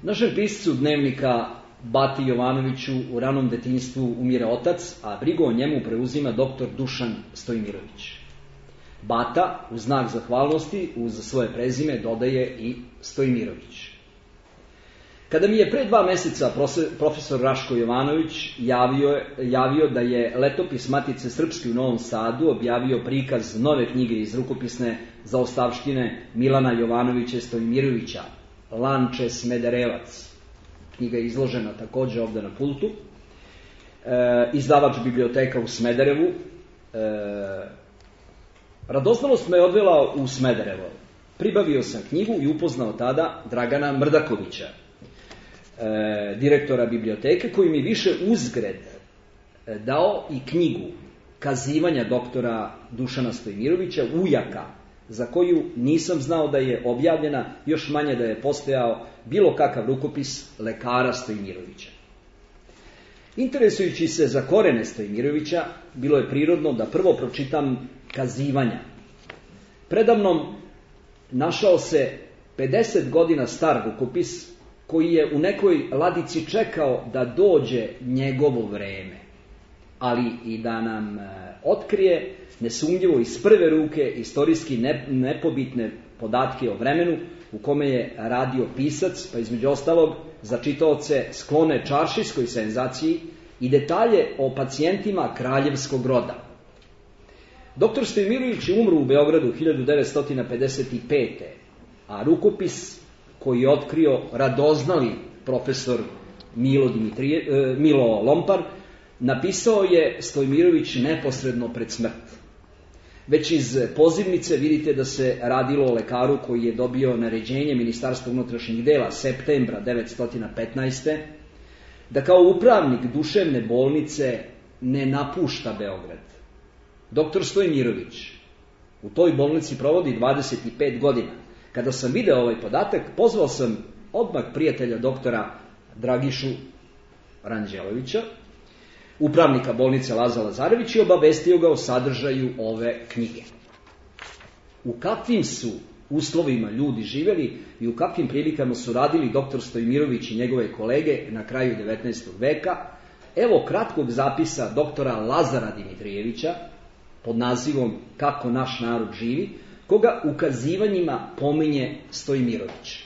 Našem piscu dnevnika Bati Jovanoviću u ranom detinjstvu umire otac, a brigu o njemu preuzima dr. Dušan Stojmirović. Bata, u znak zahvalnosti, uz svoje prezime dodaje i Stojmirović. Kada mi je pre 2 meseca profesor Raško Jovanović javio da je letopis Matice Srpske u Novom Sadu objavio prikaz nove knjige iz rukopisne zaostavštine Milana Jovanovića Stojmirovića, Lanče Smederevac. Knjiga je izložena takođe ovde na pultu. Izdavač biblioteka u Smederevu. Radoznalost me odvela u Smederevo. Pribavio sam knjigu i upoznao tada Dragana Mrdakovića, direktora biblioteke, koji mi više uzgred dao i knjigu Kazivanja doktora Dušana Stojmirovića, ujaka, za koju nisam znao da je objavljena, još manje da je postojao bilo kakav rukopis lekara Stojmirovića. Interesujući se za korene Stojmirovića, bilo je prirodno da prvo pročitam Kazivanja. Predamnom našao se 50 godina star rukopis koji je u nekoj ladici čekao da dođe njegovo vreme, ali i da nam otkrije nesumnjivo iz prve ruke istorijski nepobitne podatke o vremenu u kome je radio pisac, pa između ostalog za čitaoce sklone čaršijskoj senzaciji i detalje o pacijentima kraljevskog roda. Doktor Stojmirović je umro u Beogradu 1955. A rukopis koji je otkrio radoznali profesor Milo Lompar napisao je Stojmirović neposredno pred smrt. Već iz pozivnice vidite da se radilo o lekaru koji je dobio naređenje Ministarstva unutrašnjih dela septembra 1915. da kao upravnik duševne bolnice ne napušta Beograd. Doktor Stojmirović u toj bolnici provodi 25 godina. Kada sam video ovaj podatak, pozvao sam odmah prijatelja doktora Dragišu Ranđelovića, upravnika bolnice Laza Lazarević, i obavestio ga o sadržaju ove knjige. U kakvim su uslovima ljudi živeli i u kakvim prilikama su radili doktor Stojmirović i njegove kolege na kraju 19. veka, evo kratkog zapisa doktora Lazara Dimitrijevića pod nazivom Kako naš narod živi, koga u kazivanjima pominje Stojmirović.